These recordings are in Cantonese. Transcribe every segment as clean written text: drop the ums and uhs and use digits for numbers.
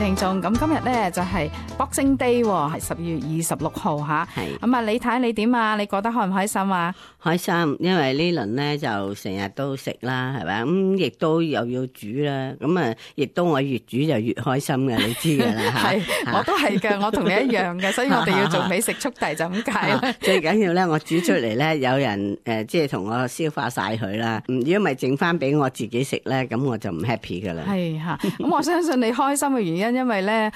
聽眾，咁今日咧就係 Boxing Day， 係12月26號吓。係咁啊，你睇你點啊？你覺得開唔開心啊？開心，因為呢輪咧就成日都食啦，係咪？咁亦都又要煮啦，咁啊，亦都我越煮就越開心嘅，你知噶啦吓。係，我都係嘅，我同你一樣嘅，所以我哋要做美食速遞就咁解啦。最緊要咧，我煮出嚟咧，有人即係同我消化晒佢啦。如果唔係剩翻俾我自己食咧，咁我就唔 happy 噶啦。係吓，咁我相信你開心嘅原因，因為咧，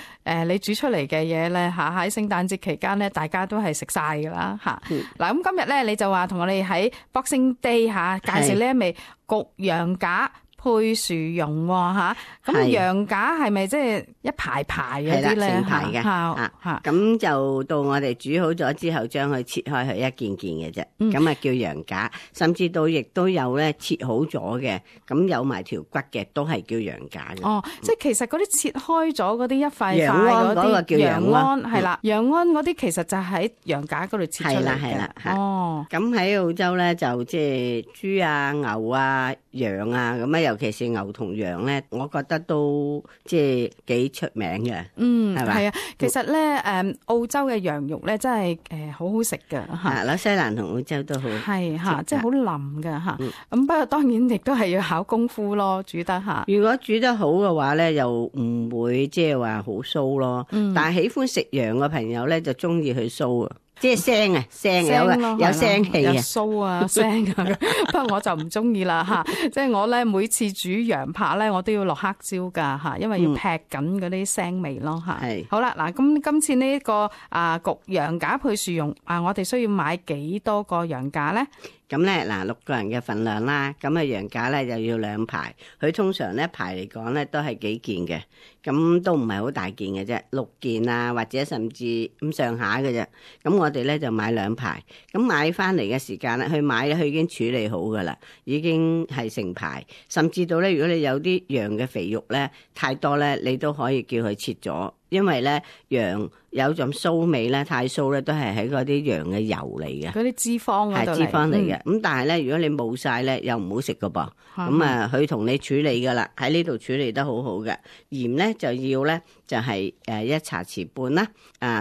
你煮出嚟嘅嘢咧，吓喺聖誕節期間咧，大家都係食晒噶啦，吓。嗱，咁今日咧，你就話同我哋喺 Boxing Day 吓介紹呢一味焗羊架配薯蓉吓，咁羊架係咪即係一排排嗰啲咧？成排嘅吓，咁就到我哋煮好咗之後，將佢切開佢一件件嘅啫，咁啊叫羊架。甚至到亦都有咧切好咗嘅，咁有埋條骨嘅，都係叫羊架嘅。哦，即係其實嗰啲切開咗嗰啲一塊塊羊安嗰個叫羊安，係啦，羊安嗰啲其實就喺羊架嗰度切出嚟嘅。係啦。哦，咁喺澳洲咧就即係豬啊、牛啊、羊啊咁啊，尤其是牛同羊咧，我覺得都即係幾出名嘅。係咪？係啊，其實咧澳洲嘅羊肉咧真係好好食㗎嚇。紐西蘭同澳洲都好係嚇，即係好腍㗎嚇。咁不過當然亦都係要考功夫咯，煮得嚇。如果煮得好嘅話咧，又唔會即係話好酥咯。但係喜歡食羊嘅朋友咧，就中意佢酥啊。即係聲啊，聲有聲氣啊，有酥啊，聲啊。不過我就唔中意啦嚇。即係我咧每次煮羊扒咧，我都要落黑椒㗎嚇，因為要劈緊嗰啲腥味咯嚇。係好啦，嗱咁今次呢個焗羊架配薯蓉我哋需要買幾多個羊架咧？咁咧嗱，6個人嘅份量啦，咁啊羊架咧就要2排，佢通常咧排嚟講咧都係幾件嘅，咁都唔係好大件嘅啫，6件啊或者甚至咁上下嘅啫。咁我哋咧就買2排，咁買翻嚟嘅時間咧，去買咧佢已經處理好噶啦，已經係成排，甚至到咧如果你有啲羊嘅肥肉咧太多咧，你都可以叫佢切咗。因為咧羊有陣騷味咧，太騷咧都係喺嗰啲羊嘅油嚟嘅，嗰啲脂肪嗰度嚟，係脂肪嚟嘅。咁但係咧，如果你冇晒咧，又唔好食噶噃。咁啊，佢同你處理噶啦，喺呢度處理得好好嘅。鹽咧就要咧就係1茶匙半啦。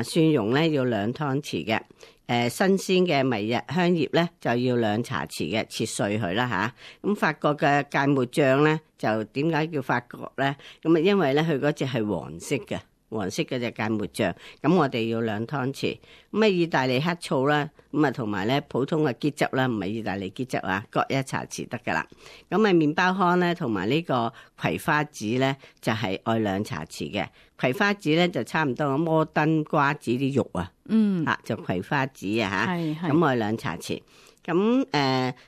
蒜蓉咧要2湯匙嘅。新鮮嘅迷日香葉咧就要2茶匙嘅，切碎佢啦吓。咁法國嘅芥末醬咧就點解叫法國咧？咁啊，因為咧佢嗰隻係黃色嘅。黃色嗰隻芥末醬，咁我哋要2湯匙。咁啊，意大利黑醋啦，咁啊同埋咧普通嘅桔汁啦，唔係意大利桔汁啊，各1茶匙得噶啦。咁啊，麵包糠咧同埋呢個葵花籽咧就係愛2茶匙嘅。葵花籽咧就差唔多摩登瓜子啲肉啊，就葵花籽啊嚇，咁愛2茶匙。咁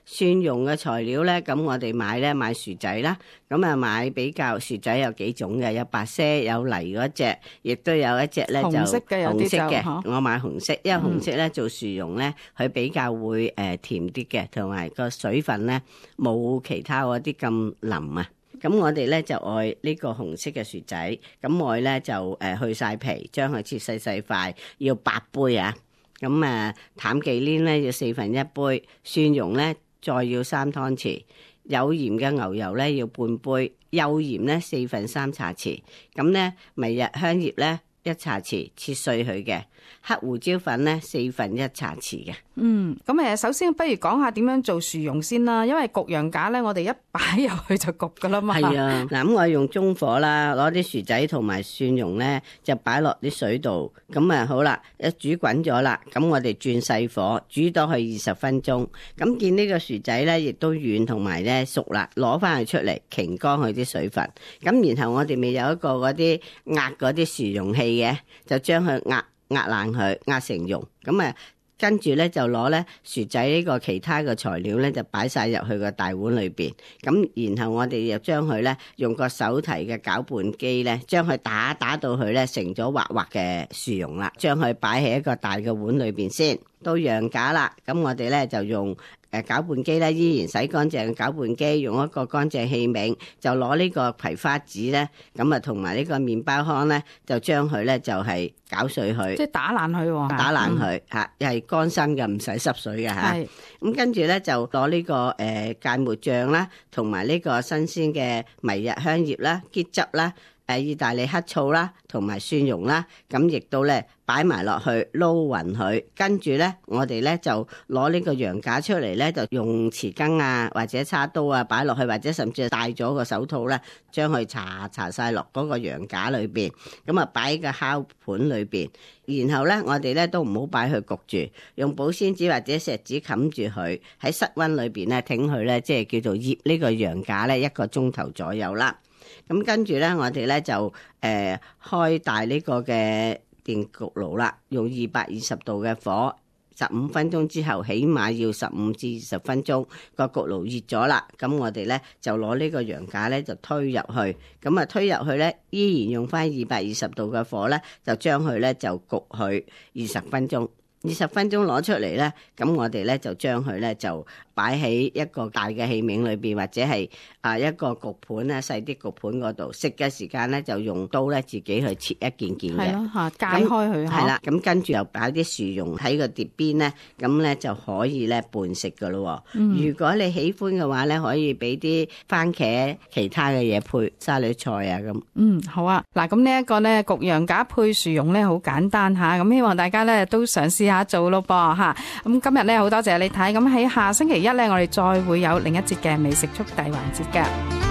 蒜蓉嘅材料咧，咁我哋買薯仔啦，咁啊買比較薯仔有幾種嘅，有白色有泥嗰隻，亦都有一隻咧就紅色嘅，我買紅色，因為紅色咧做薯蓉咧，佢比較會甜啲嘅，同埋個水分咧冇其他嗰啲咁腍啊。咁我哋咧就愛呢個紅色嘅薯仔，咁我咧就去晒皮，將佢切細細塊，要8杯啊。咁淡忌廉咧要1/4杯，蒜蓉咧再要3湯匙，有鹽嘅牛油咧要半杯，幼鹽咧4/3茶匙，咁咧迷日香葉咧1茶匙，切碎佢嘅，黑胡椒粉咧1/4茶匙嘅。咁首先不如講下點樣做薯蓉先啦，因為焗羊架咧，我哋一擺入去就焗噶啦嘛。係啊，嗱咁我用中火啦，攞啲薯仔同埋蒜蓉咧就擺落啲水度，咁好啦，一煮滾咗啦，咁我哋轉細火煮到去20分鐘，咁見呢個薯仔咧亦都軟同埋咧熟啦，攞翻佢出嚟擎乾佢啲水分，咁然後我哋咪有一個嗰啲壓嗰啲薯蓉器嘅，就將佢壓爛佢，壓成蓉，咁跟住咧就攞咧薯仔呢個其他嘅材料咧就擺晒入去個大碗裏邊，咁然後我哋又將佢咧用個手提嘅攪拌機咧，將佢打到佢咧成咗滑滑嘅薯蓉啦，將佢擺喺一個大嘅碗裏邊先。到羊架啦，咁我哋咧就用攪拌機咧，依然洗乾淨嘅攪拌機，用一個乾淨器皿，就攞呢個葵花籽咧，咁同埋呢個麵包糠咧，就將佢咧就係攪碎佢，即係打爛佢喎，打爛佢嚇，又係乾身嘅，唔使濕水嘅嚇。咁跟住咧就攞呢個芥末醬啦，同埋呢個新鮮嘅迷日香葉啦、桔汁啦。意大利黑醋啦，同埋蒜蓉啦，咁亦都咧擺埋落去撈勻佢，跟住咧我哋咧就攞呢個羊架出嚟咧，就用匙羹啊或者叉刀啊擺落去，或者甚至係戴咗個手套咧，將佢搽晒落嗰個羊架裏邊，咁啊擺喺個烤盤裏邊，然後咧我哋咧都唔好擺去焗住，用保鮮紙或者錫紙冚住佢，喺室溫裏邊咧挺佢咧，即係叫做醃呢個羊架咧1個鐘頭左右啦。咁跟住咧，我哋咧就開大呢個嘅電焗爐啦，用220度嘅火，15分鐘之後，起碼要15至20分鐘。個焗爐熱咗啦，咁我哋咧就攞呢個羊架咧就推入去，咁啊推入去咧依然用翻220度嘅火咧，就將佢咧就焗佢20分鐘。20分鐘攞出嚟咧，咁我哋咧就將佢咧就擺喺一個大嘅器皿裏邊，或者係一個焗盤咧細啲焗盤嗰度。食嘅時間咧就用刀咧自己去切一件件嘅，係咯嚇，解開佢嚇。係啦，咁跟住又擺啲薯蓉喺個碟邊咧，咁咧就可以咧拌食噶咯。如果你喜歡嘅話咧，可以俾啲番茄其他嘅嘢配沙律菜啊咁。好啊，嗱咁呢一個咧焗羊架配薯蓉咧好簡單嚇，咁希望大家咧都嘗試下做咯噃嚇。咁今日咧好多謝你睇，咁喺下星期一咧我哋再會有另一節嘅美食速遞環節嘅。